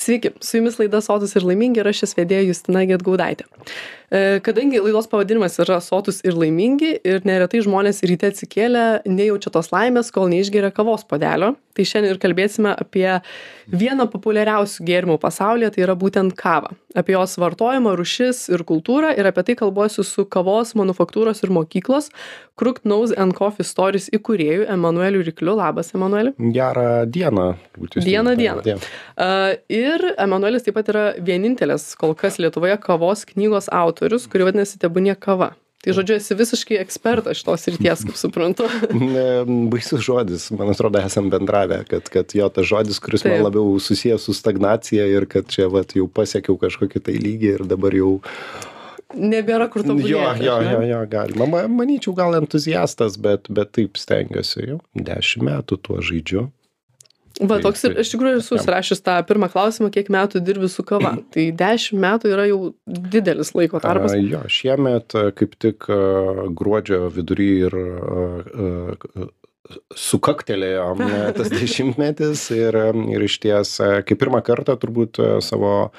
Sveiki, su jumis laida Sotūs ir laimingi ir aš jos vedėja Justina Gedgaudaitė. Kadangi laidos pavadinimas yra Sotūs ir laimingi ir neretai žmonės ryte atsikėlę nejaučia tos laimės, kol neišgeria kavos puodelio, tai šiandien ir kalbėsime apie vieną populiariausių gėrimų pasaulyje, tai yra būtent kavą. Apie jos vartojimą, rūšis ir kultūrą ir apie tai kalbuosiu su kavos manufaktūros ir mokyklos Crooked Nose and Coffee Stories įkūrėju Emanueliu Rykliu. Labas, Emanueli. Gerą dieną. Dieną. Ir Emanuelis taip pat yra vienintelis kol kas Lietuvoje kavos knygos autorius, kuri vadinasi Tebūnie kava. Tai žodžiu, esi visiškai ekspertas šitos srities, kaip suprantu. Baisus žodis, man atrodo, esam bendravę, kad jo tas žodis, kuris man labiau susijęs su stagnacija ir kad čia jau pasiekiau kažkokį tai lygį ir dabar jau... Nebėra kur tobulėti. Jo, galima. Manyčiau, gal entuziastas, bet taip stengiuosi jau. 10 metų tuo žaidžiu. Toks ir iš tikrųjų esu surašęs tą pirmą klausimą, kiek metų dirbi su kava. Tai 10 metų yra jau didelis laiko tarpas. Jo, šiemet kaip tik gruodžio vidury ir sukaktelėjo tas 10-metis ir išties, kaip pirmą kartą turbūt savo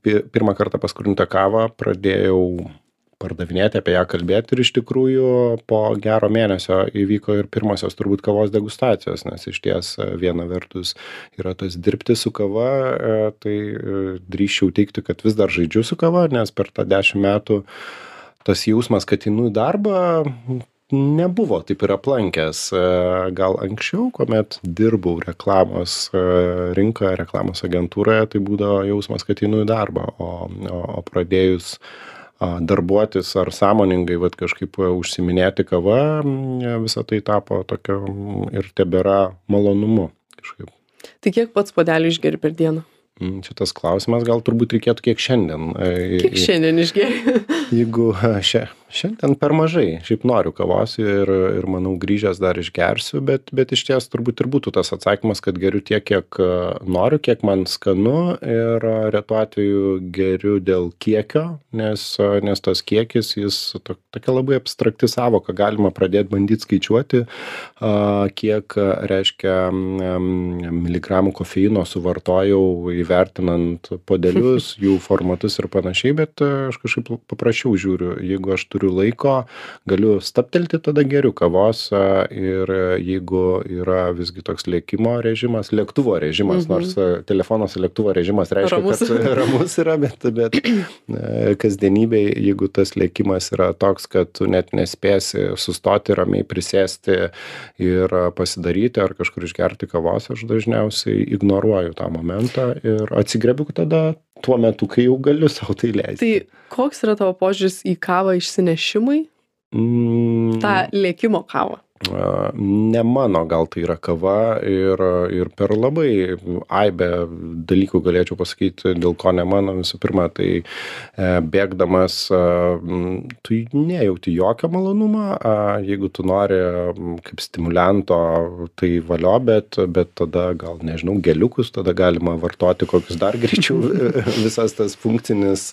pirmą kartą paskrutintą kavą pradėjau pardavinėti, apie ją kalbėti ir iš tikrųjų po gero mėnesio įvyko ir pirmosios turbūt kavos degustacijos, nes iš ties viena vertus yra tas dirbti su kava, tai drįsčiau teikti, kad vis dar žaidžiu su kava, nes per tą 10 metų tas jausmas, kad einu į darbą, nebuvo taip ir aplankęs. Gal anksčiau, kuomet dirbau reklamos rinkoje, reklamos agentūroje, tai būdavo jausmas, kad einu į darbą, o pradėjus darbuotis ar sąmoningai kažkaip užsiminėti kava, visą tai tapo tokio ir tebėra malonumu kažkaip. Tai kiek pats puodelių išgeri per dieną? Šitas klausimas gal turbūt reikėtų kiek šiandien. Kiek šiandien išgeri? Jeigu šiandien per mažai, šiaip noriu kavos ir manau grįžęs dar išgersiu, bet iš ties turbūt ir būtų tas atsakymas, kad geriu tiek, kiek noriu, kiek man skanu ir retu atveju geriu dėl kiekio, nes tas kiekis, jis tokia labai abstrakti savoka, galima pradėti bandyti skaičiuoti, kiek reiškia miligramų kofeino suvartojau įvertinant puodelius, jų formatus ir panašiai, bet aš kažkaip paprasčiau žiūriu, jeigu aš turiu laiko, galiu stabtelti, tada geriu kavos ir jeigu yra visgi toks lėktuvo režimas, nors telefonas lėktuvo režimas reiškia, kad ramus yra, bet kasdienybėj, jeigu tas lėkimas yra toks, kad tu net nespėsi sustoti, ramiai prisėsti ir pasidaryti ar kažkur išgerti kavos, aš dažniausiai ignoruoju tą momentą ir atsigriebiu tada tuo metu, kai jau galiu sau tai leisti. Tai koks yra tavo požiūris į kavą išsinešimui? Ta lėkimo kavą? Ne mano gal tai yra kava ir per labai aibę dalykų galėčiau pasakyti, dėl ko ne mano. Visų pirma, tai bėgdamas tu nejauti jokio malonumą, jeigu tu nori kaip stimulianto, tai valio, bet tada gal, nežinau, geliukus, tada galima vartoti kokius dar greičiau, visas tas funkcinis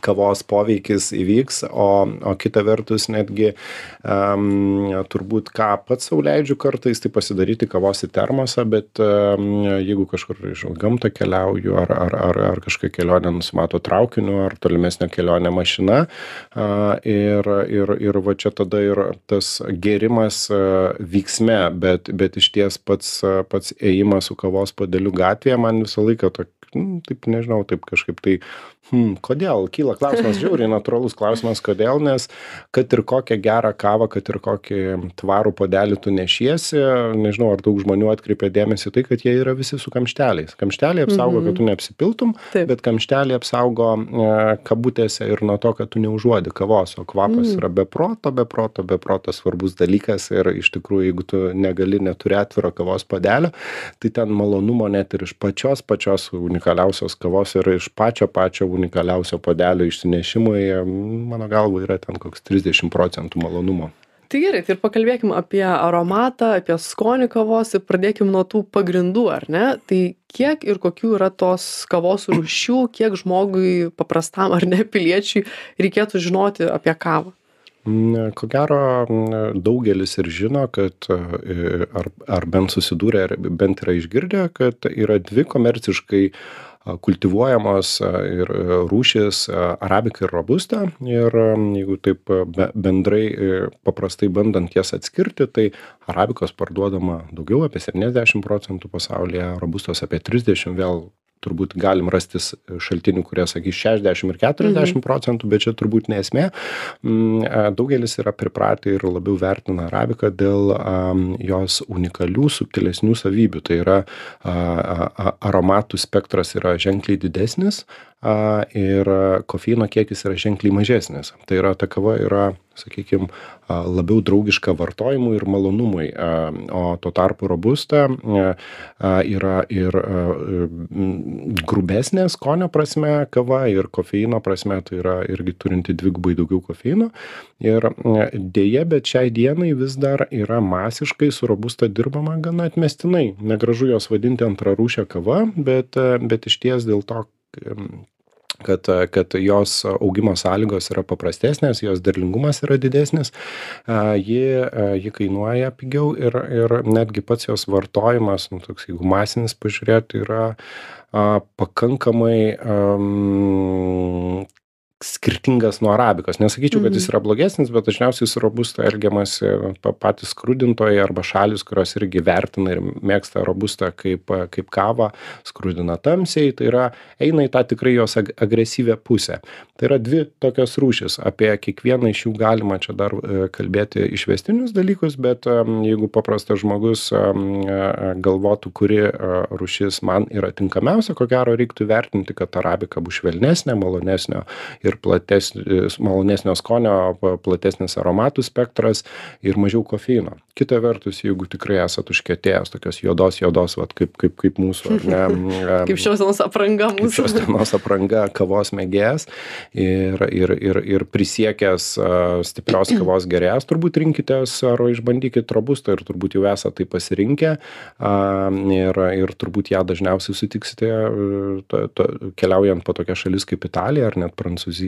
kavos poveikis įvyks, o kita vertus netgi turbūt ką pats sau leidžiu kartais, tai pasidaryti kavos į termosą, bet jeigu kažkur iš gamtą keliauju ar kažkokią kelionę nusimato traukiniu ar tolimesnę kelionę mašina ir va čia tada ir tas gėrimas vyksme, bet iš ties pats ėjimas su kavos puodeliu gatvėje man visą laiką taip nežinau, taip kažkaip tai kodėl? Kyla klausimas, žiauriai natūralus klausimas, kodėl, nes kad ir kokią gerą kavą, kad ir kokį tvarų puodelį tu nešiesi, nežinau, ar daug žmonių atkreipia dėmesį tai, kad jie yra visi su kamšteliais. Kamšteliai apsaugo, kad tu neapsipiltum, bet kamšteliai apsaugo kabutėse ir nuo to, kad tu neužuodi kavos, o kvapas yra be proto svarbus dalykas ir iš tikrųjų, jeigu tu neturi atviro kavos puodelio, tai ten malonumo net ir iš pačios unikaliausios kavos ir iš pačio unikaliausio puodelio išsinešimui, mano galva, yra ten koks 30% malonumo. Tai gerai, tai ir pakalbėkim apie aromatą, apie skonį kavos ir pradėkim nuo tų pagrindų, ar ne? Tai kiek ir kokių yra tos kavos rūšių, kiek žmogui paprastam ar ne piliečiui reikėtų žinoti apie kavą? Ko gero, daugelis ir žino, kad ar bent susidūrę, ar bent yra išgirdę, kad yra dvi komerciškai kultivuojamos ir rūšys arabika ir robusta. Ir jeigu taip bendrai paprastai bandant jas atskirti, tai arabikos parduodama daugiau, apie 70% pasaulyje, robustos apie 30%, vėl turbūt galim rastis šaltinių, kurie sakys 60 ir 40%, bet čia turbūt ne esmė. Daugelis yra pripratę ir labiau vertina arabiką dėl jos unikalių, subtilesnių savybių. Tai yra aromatų spektras yra ženkliai didesnis ir kofeino kiekis yra ženkliai mažesnis. Tai yra, ta kava yra, sakykime, labiau draugiška vartojimui ir malonumui, o tuo tarpu robusta yra ir grubesnė skonio prasme kava ir kofeino prasme, tai yra irgi turinti dvigubai daugiau kofeino. Ir dėja, bet šiai dienai vis dar yra masiškai su robusta dirbama gana atmestinai. Negražu jos vadinti antrarūšė kava, bet išties dėl to, kad jos augimo sąlygos yra paprastesnės, jos derlingumas yra didesnis, ji kainuoja pigiau ir netgi pats jos vartojimas, toks, jeigu masinis pažiūrėti, yra pakankamai skirtingas nuo arabikos. Nesakyčiau, kad jis yra blogesnis, bet dažniausiai su robusta elgiamasi patys skrudintojai arba šalys, kurios irgi vertina ir mėgsta robustą kaip kavą, skrudina tamsiai, tai yra eina į tą tikrai jos agresyvę pusę. Tai yra dvi tokios rūšys. Apie kiekvieną iš jų galima čia dar kalbėti išvestinius dalykus, bet jeigu paprastas žmogus galvotų, kuri rūšis man yra tinkamiausia, ko gero reiktų vertinti, kad arabika bus švelnesnė, malonesnio ir malonesnio skonio, platesnis aromatų spektras ir mažiau kofeino. Kita vertus, jeigu tikrai esat užkietėjęs tokios juodos, vat, kaip mūsų, ar ne? Kaip šios dienos apranga mūsų. Kaip šios dienos apranga kavos mėgėjas ir prisiekęs stiprios kavos gerėjas, turbūt rinkitės ar išbandykit robustą ir turbūt jau esate tai pasirinkę ir turbūt ją dažniausiai sutiksite keliaujant po tokias šalis kaip Italija ar net Prancūzija.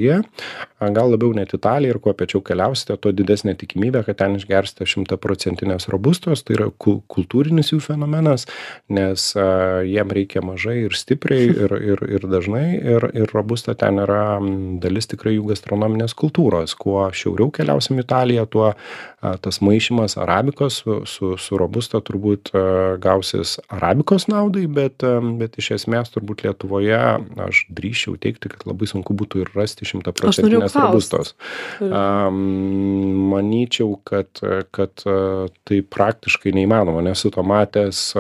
Gal labiau net Italija ir kuo piečiau keliausite, tuo didesnė tikimybė, kad ten išgersite 100% robustos. Tai yra kultūrinis jų fenomenas, nes jiem reikia mažai ir stipriai ir dažnai ir robusta ten yra dalis tikrai jų gastronominės kultūros. Kuo šiauriau keliausim Italiją, tuo tas maišymas arabikos su robusta turbūt gausis arabikos naudai, bet iš esmės turbūt Lietuvoje aš drįsčiau teigti, kad labai sunku būtų ir rasti 100% robustos. Manyčiau, kad tai praktiškai neįmanoma, nesu to matęs,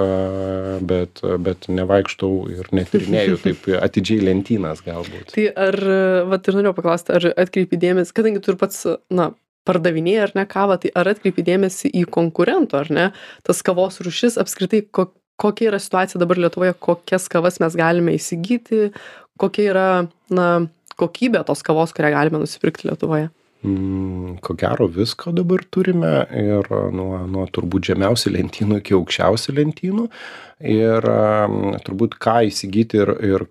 bet nevaikštau ir netyrinėju taip atidžiai lentynas galbūt. Tai ar, vat ir norėjau paklausti, ar atkreipi dėmesį, kadangi tu ir pats, pardavinėji ar ne kavą, tai ar atkreipi dėmesį į konkurento, ar ne, tas kavos rūšis, apskritai, kokia yra situacija dabar Lietuvoje, kokias kavas mes galime įsigyti, kokia yra, kokybė tos kavos, kurią galime nusipirkti Lietuvoje? Ko gero visko dabar turime ir nuo turbūt žemiausių lentynų iki aukščiausių lentynų ir turbūt ką įsigyti ir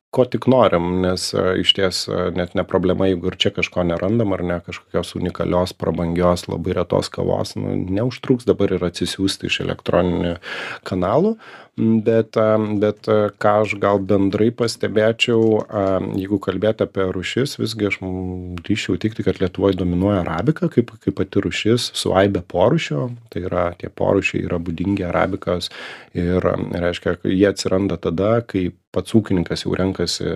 ko tik norim, nes išties net ne problema, jeigu ir čia kažko nerandam ar ne kažkokios unikalios, prabangios, labai retos kavos, neužtruks dabar ir atsisiųsti iš elektroninių kanalų, bet ką aš gal bendrai pastebėčiau, jeigu kalbėti apie rūšis, visgi aš drįsčiau teigti, kad Lietuvoje dominuoja arabika kaip pati rūšis su aibe porūšio, tai yra tie porūšiai yra būdingi arabikos ir reiškia, jie atsiranda tada, kai pats ūkininkas jau renkasi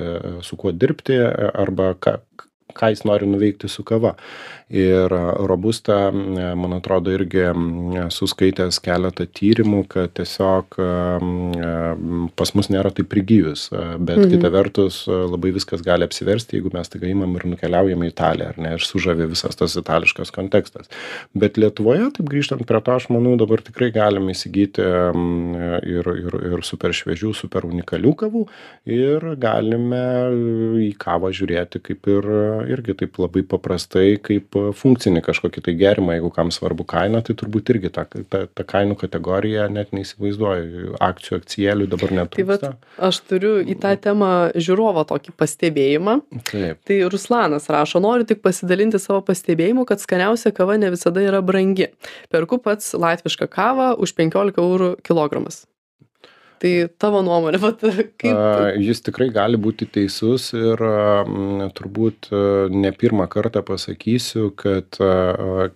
su kuo dirbti arba ką jis nori nuveikti su kava. Ir robusta, man atrodo, irgi suskaitęs keletą tyrimų, kad tiesiog pas mus nėra taip prigijus, bet kita vertus labai viskas gali apsiversti, jeigu mes tai imam ir nukeliaujame į Italiją, ar ne, ir sužavi visas tas itališkas kontekstas. Bet Lietuvoje, taip grįžtant prie to, aš manau, dabar tikrai galime įsigyti ir super šviežių, super unikalių kavų ir galime į kavą žiūrėti kaip ir irgi taip labai paprastai kaip funkcinį kažkokį tai gėrimą, jeigu kam svarbu kaina, tai turbūt irgi ta kainų kategorija net neįsivaizduoju, akcijų, akcijėlių dabar netrūksta. Tai vat aš turiu į tą temą žiūrovą tokį pastebėjimą. Taip. Tai Ruslanas rašo, noriu tik pasidalinti savo pastebėjimu, kad skaniausia kava ne visada yra brangi. Perku pats latvišką kavą už 15 eurų kilogramas. Tai tavo nuomonė, kaip... Jis tikrai gali būti teisus ir turbūt ne pirmą kartą pasakysiu, kad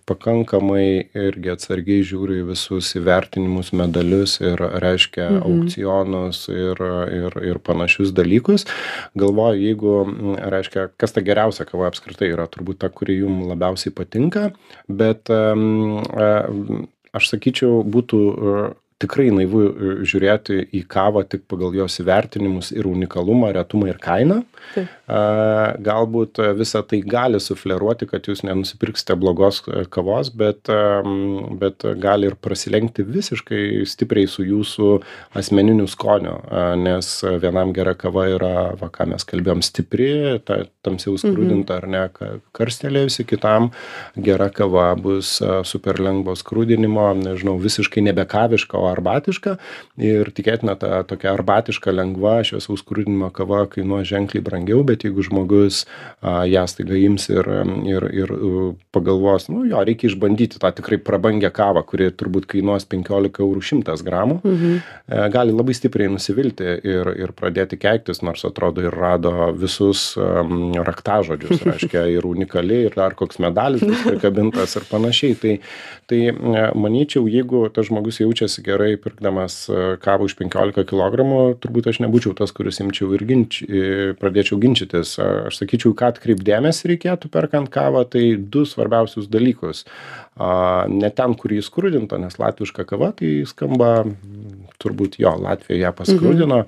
pakankamai irgi atsargiai žiūriu į visus įvertinimus, medalius ir reiškia aukcionus ir panašius dalykus. Galvoju, jeigu, reiškia, kas ta geriausia kava apskritai yra, turbūt ta, kuri jums labiausiai patinka, bet aš sakyčiau, būtų tikrai naivu žiūrėti į kavą tik pagal jos įvertinimus ir unikalumą, retumą ir kainą. Taip. Galbūt visą tai gali sufleruoti, kad jūs nenusipirksite blogos kavos, bet gali ir prasilenkti visiškai stipriai su jūsų asmeniniu skoniu, nes vienam gera kava yra, ką mes kalbėjom, stipri, tamsiau skrudinta ar ne, karstelėjusi, kitam gera kava bus super lengvo skrudinimo, nežinau, visiškai nebekaviška, o arbatiška, ir tikėtina ta tokia arbatiška lengva šviesaus skrudinimo kava kainuos ženkliai brangiau, bet jeigu žmogus ją staiga ims ir pagalvos, jo, reikia išbandyti tą tikrai prabangią kavą, kuri turbūt kainuos 15 eurų 100 gramų, gali labai stipriai nusivilti ir pradėti keiktis, nors atrodo ir rado visus raktažodžius, reiškia, ir unikali, ir dar koks medalis bus prikabintas ir panašiai. Tai manyčiau, jeigu tas žmogus jaučiasi gerai pirkdamas kavą už 15 kilogramų, turbūt aš nebūčiau tas, kuris imčiau ir pradėčiau ginčytis. Aš sakyčiau, ką atkreipdėmėsi reikėtų perkant kavą, tai 2 svarbiausius dalykus. Ne ten, kur jį skrudinta, nes latviška kava, tai skamba, turbūt jo, Latvija ją paskrudino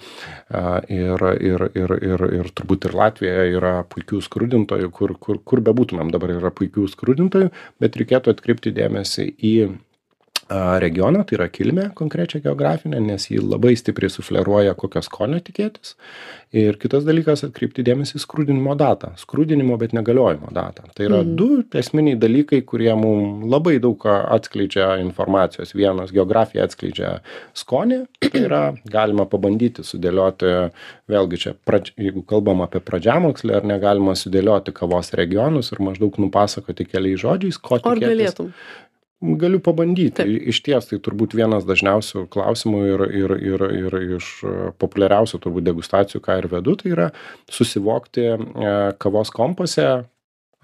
ir turbūt ir Latvija yra puikių skrudintojų, kur bebūtumėm dabar yra puikių skrudintojų, bet reikėtų atkreipti dėmesį į regioną, tai yra kilmę konkrečią geografinę, nes jį labai stipriai sufleruoja, kokio skonio tikėtis. Ir kitas dalykas, atkreipti dėmesį į skrudinimo datą. Skrudinimo, bet negaliojimo datą. Tai yra 2 esminiai dalykai, kurie mums labai daug atskleidžia informacijos. Vienas, geografija atskleidžia skonį, tai yra galima pabandyti sudėlioti, vėlgi čia, jeigu kalbam apie pradžiamokslį, ar negalima sudėlioti kavos regionus ir maždaug nupasakoti keliais žodžiais, ko tikėtis. Ar galėtum? Galiu pabandyti. Išties tai turbūt vienas dažniausių klausimų ir iš populiariausių turbūt degustacijų, ką ir vedu, tai yra susivokti kavos kompose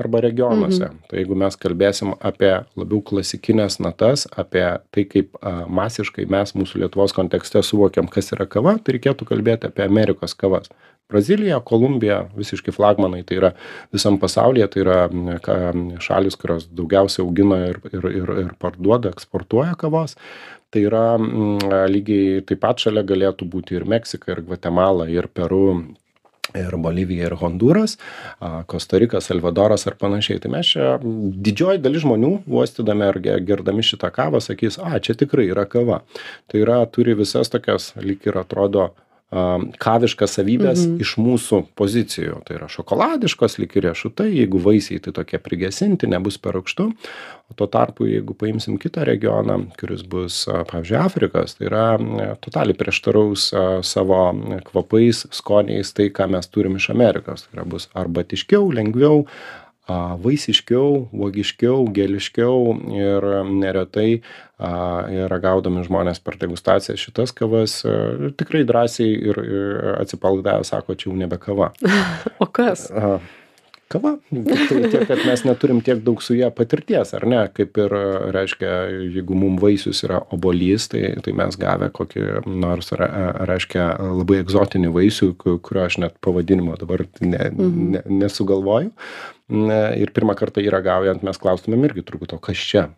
arba regionuose. Tai jeigu mes kalbėsim apie labiau klasikinės natas, apie tai, kaip masiškai mes mūsų Lietuvos kontekste suvokiam, kas yra kava, tai reikėtų kalbėti apie Amerikos kavas. Brazilija, Kolumbija, visiškai flagmanai, tai yra visam pasaulyje, tai yra šalis, kurios daugiausiai augina ir parduoda, eksportuoja kavos. Tai yra lygiai taip pat šalia galėtų būti ir Meksika, ir Gvatemala, ir Peru, ir Bolivija, ir Honduras, Kosta-Rika, Salvadoras ar panašiai. Tai mes čia didžioji dalis žmonių, uostydami ar gerdami šitą kavą, sakys, čia tikrai yra kava. Tai yra, turi visas tokias, lyg ir atrodo, kaviškas savybės iš mūsų pozicijų. Tai yra šokoladiškos, lyg ir riešutai, jeigu vaisiai tai tokie prigesinti, nebus per rūgštu. O tuo tarpu, jeigu paimsim kitą regioną, kuris bus, pavyzdžiui, Afrikos, tai yra totaliai prieštaraus savo kvapais, skoniais tai, ką mes turim iš Amerikos. Tai yra bus arbatiškiau, lengviau, vaisiškiau, uogiškiau, geliškiau ir neretai ragaudami žmonės per degustaciją šitas kavas tikrai drąsiai ir atsipalaidavę sako, čia jau nebe kava. O kas? Kava. Tiek, kad mes neturim tiek daug su ją patirties, ar ne? Kaip ir, reiškia, jeigu mums vaisius yra obuolys, tai mes gavę kokį nors, reiškia, labai egzotinį vaisių, kurio aš net pavadinimo dabar nesugalvoju. Ir pirmą kartą jį ragaujant mes klaustumėm irgi turbūt, o kas čia?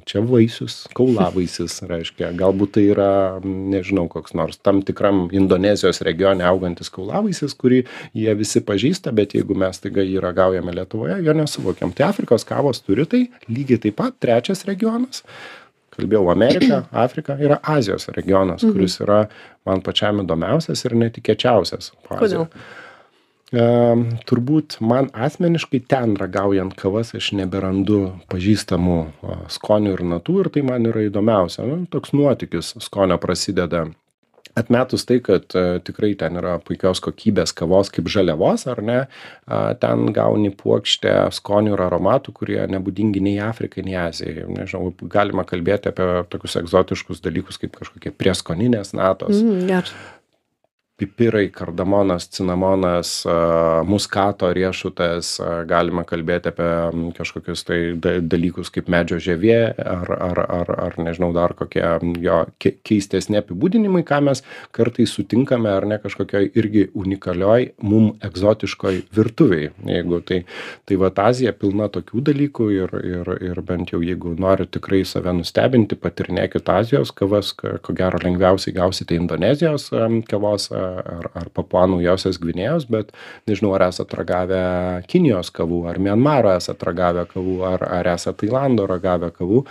Čia vaisius, kaulavaisis, reiškia, galbūt tai yra, nežinau, koks nors tam tikram Indonezijos regione augantis kaulavaisis, kurį jie visi pažįsta, bet jeigu mes taiga jį ragaujame Lietuvoje, jo nesuvokiam. Tai Afrikos kavos turi tai, lygiai taip pat, 3 regionas. Kalbėjau, Amerika, Afrika yra Azijos regionas, kuris yra man pačiam įdomiausias ir netikėčiausias. Kodėl? Turbūt man asmeniškai ten ragaujant kavas aš neberandu pažįstamų skonių ir natų ir tai man yra įdomiausia. Nu, toks nuotykis skonio prasideda. Atmetus tai, kad tikrai ten yra puikios kokybės kavos kaip žaliavos, ar ne, ten gauni puokštę skonių ir aromatų, kurie nebūdingi nei Afrikai, nei Azijai. Nežinau, galima kalbėti apie tokius egzotiškus dalykus kaip kažkokie prieskoninės natos. Geras. Pipirai, kardamonas, cinamonas, muskato riešutas, galima kalbėti apie kažkokius tai dalykus kaip medžio žievė ar nežinau dar kokie jo keistesni apibūdinimai, ką mes kartais sutinkame ar ne kažkokioj irgi unikalioj, mum egzotiškoj virtuviai. Jeigu tai vat Azija pilna tokių dalykų ir bent jau jeigu nori tikrai save nustebinti, patirnėkit Azijos kavas, ko gero lengviausiai gausite Indonezijos kavos ar Papua Naujosios Gvinėjos, bet nežinau, ar esate ragavę Kinijos kavų, ar Mianmaro esate ragavę kavų, ar esate Tailando ragavę kavų.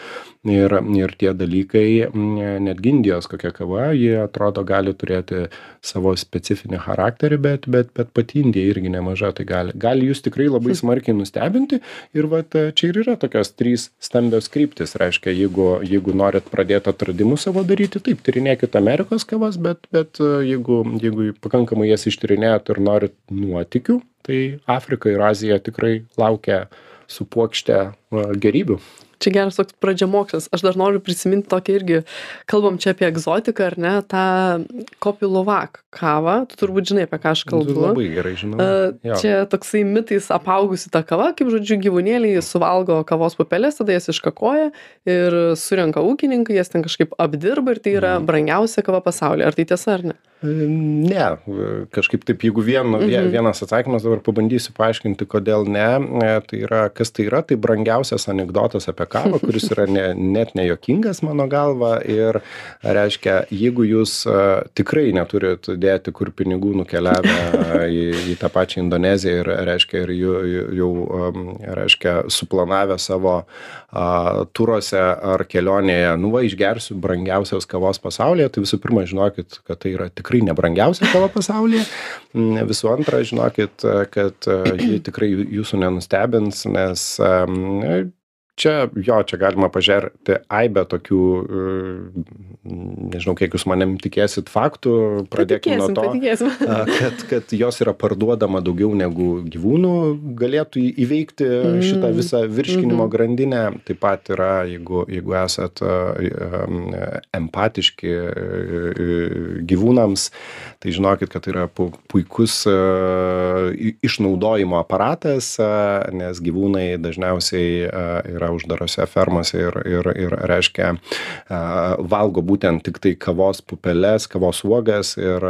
Ir tie dalykai, netgi Indijos kokia kava, jie atrodo gali turėti savo specifinį charakterį, bet pati Indija irgi nemaža, tai gali jūs tikrai labai smarkiai nustebinti. Ir vat čia ir yra tokios 3 stambios kryptis. Reiškia, jeigu norit pradėti atradimus savo daryti, taip, tyrinėkit Amerikos kavas, bet jeigu pakankamai jas ištyrinėjot ir norit nuotykių, tai Afrika ir Azija tikrai laukia su puokšte gerybių. Čia geras toks pradžiamokslis. Aš dar noriu prisiminti tokį irgi, kalbam čia apie egzotiką, ar ne, tą Kopi Luwak kavą. Tu turbūt žinai, apie ką aš kalbu. Labai gerai žinau. Čia toksai mitais apaugusi ta kava, kaip žodžiu, gyvūnėliai suvalgo kavos pupelės, tada jas iškakoja ir surenka ūkininkai, jas ten kažkaip apdirba ir tai yra brangiausia kava pasaulyje. Ar tai tiesa, ar ne? Ne, kažkaip taip, jeigu vienas atsakymas, dabar pabandysiu paaiškinti, kodėl ne. Tai yra, kas tai yra, tai brangiausias anekdotas apie kavą, kuris yra net nejuokingas mano galva. Ir reiškia, jeigu jūs tikrai neturit dėti, kur pinigų nukeliavę į tą pačią Indoneziją ir reiškia, ir jau reiškia, suplanavę savo turuose ar kelionėje, išgersiu brangiausios kavos pasaulyje, tai visų pirma žinokit, kad tai yra tikrai nebrangiausia kava pasaulyje. Visų antra, žinokit, kad ji tikrai jūsų nenustebins, nes čia galima pažerti aibę tokių, nežinau, kiek jūs manim tikėsit faktų, pradėkime nuo to, kad jos yra parduodama daugiau negu gyvūnų galėtų įveikti šitą visą virškinimo grandinę. Taip pat yra, jeigu esat empatiški gyvūnams, tai žinokit, kad tai yra puikus išnaudojimo aparatas, nes gyvūnai dažniausiai yra uždarose fermose ir reiškia valgo būtent tik tai kavos pupeles, kavos uogas ir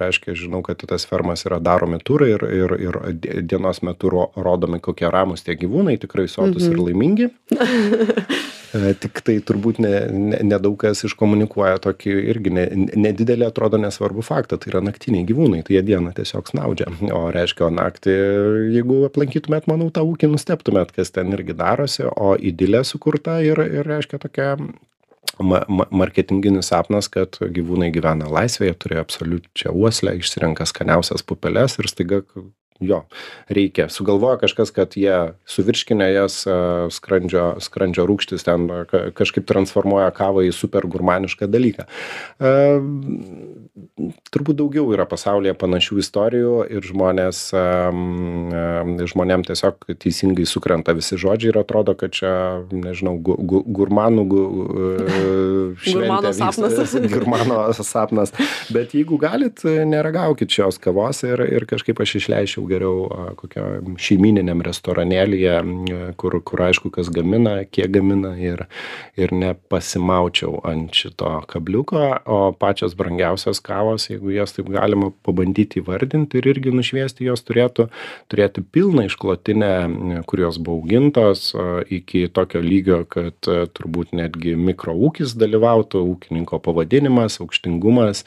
reiškia, žinau, kad tas fermas yra daromi turai ir dienos metu rodomi kokie ramus tie gyvūnai, tikrai sotus ir laimingi. Tik tai turbūt nedaug kas iškomunikuoja tokį irgi nedidelį, atrodo nesvarbu faktą, tai yra naktiniai gyvūnai, tai jie dieną tiesiog snaudžia, o reiškia, naktį, jeigu aplankytumėt, manau, tą ūkį nustebtumėt, kas ten irgi darosi, o idilė sukurta ir reiškia tokia marketinginis sapnas, kad gyvūnai gyvena laisvėje, turi absoliučią uoslę, išsirenka skaniausias pupeles ir staiga reikia. Sugalvoja kažkas, kad jie suvirškinę jas skrandžio rūgštis ten kažkaip transformuoja kavą į super gurmanišką dalyką. Turbūt daugiau yra pasaulyje panašių istorijų ir žmonėm tiesiog teisingai sukrenta visi žodžiai ir atrodo, kad čia, nežinau, gurmanų šventė vyksta. Gurmano sapnas. Bet jeigu galit, neragaukit šios kavos ir kažkaip aš išleičiau geriau kokio šeimininiam restoranėlyje, kur aišku, kas gamina, kiek gamina ir nepasimaučiau ant šito kabliuko, o pačios brangiausios kavos, jeigu jas taip galima pabandyti įvardinti ir irgi nušviesti, jos turėtų turėti pilną išklotinę, kurios buvo augintos iki tokio lygio, kad turbūt netgi mikroūkis dalyvautų, ūkininko pavadinimas, aukštingumas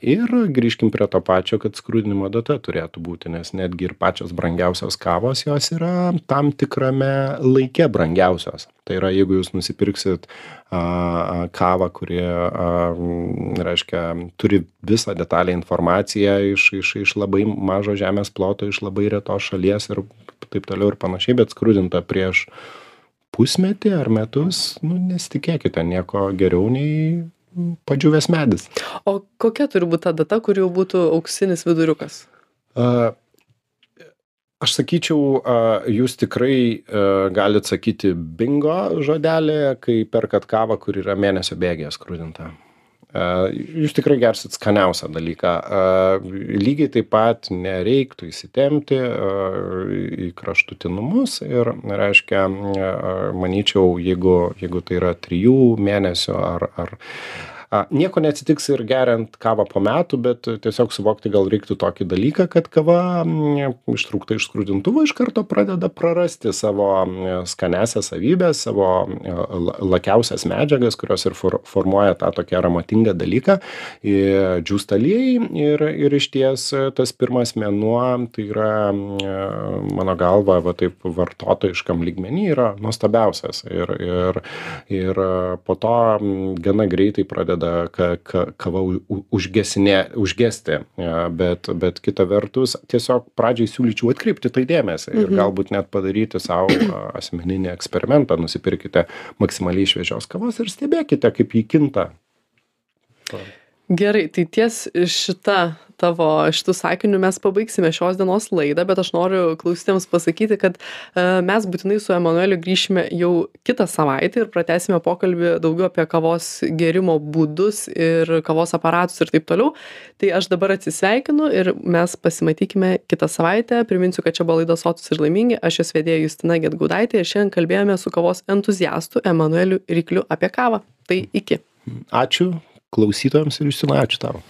ir grįžkim prie to pačio, kad skrudinimo data turėtų būti, nes netgi ir pačios brangiausios kavos, jos yra tam tikrame laike brangiausios. Tai yra, jeigu jūs nusipirksit kavą, kuri, reiškia, turi visą detalę informaciją iš labai mažo žemės ploto, iš labai retos šalies ir taip toliau ir panašiai, bet skrudinta prieš pusmetį ar metus, nesitikėkite nieko geriau nei padžiūvęs medis. O kokia turi būti ta data, kur jau būtų auksinis viduriukas? Aš sakyčiau, jūs tikrai galit sakyti bingo žodelį, kai perkat kavą, kur yra mėnesio bėgyje skrudinta. Jūs tikrai gersit skaniausią dalyką. Lygiai taip pat nereiktų įsitempti į kraštutinumus ir, reiškia, manyčiau, jeigu tai yra 3 mėnesių ar nieko neatsitiks ir geriant kavą po metų, bet tiesiog suvokti gal reiktų tokį dalyką, kad kava ištraukta iš skrudintuvo iš karto pradeda prarasti savo skaniąsias savybės, savo lakiausias medžiagas, kurios ir formuoja tą tokį aromatingą dalyką, džiūsta aliejai ir išties tas pirmas mėnuo, tai yra mano galva, taip vartotojiškam lygmenį yra nuostabiausias ir po to gana greitai pradeda kava užgesti, bet kita vertus tiesiog pradžiai siūlyčiau atkreipti tai dėmesį ir galbūt net padaryti savo asmeninį eksperimentą, nusipirkite maksimaliai šviežios kavos ir stebėkite, kaip jį kinta. Gerai, tai ties šitų sakinių mes pabaigsime šios dienos laidą, bet aš noriu klausytėms pasakyti, kad mes būtinai su Emanueliu grįšime jau kitą savaitę ir pratęsime pokalbį daugiau apie kavos gėrimo būdus ir kavos aparatus ir taip toliau. Tai aš dabar atsisveikinu ir mes pasimatykime kitą savaitę. Priminsiu, kad čia buvo laida Sotūs ir laimingi. Aš jos vedėja Justina Gedgaudaitė ir šiandien kalbėjome su kavos entuziastu Emanueliu Rykliu apie kavą. Tai iki. Ačiū klausytojams ir Justina, ačiū tau.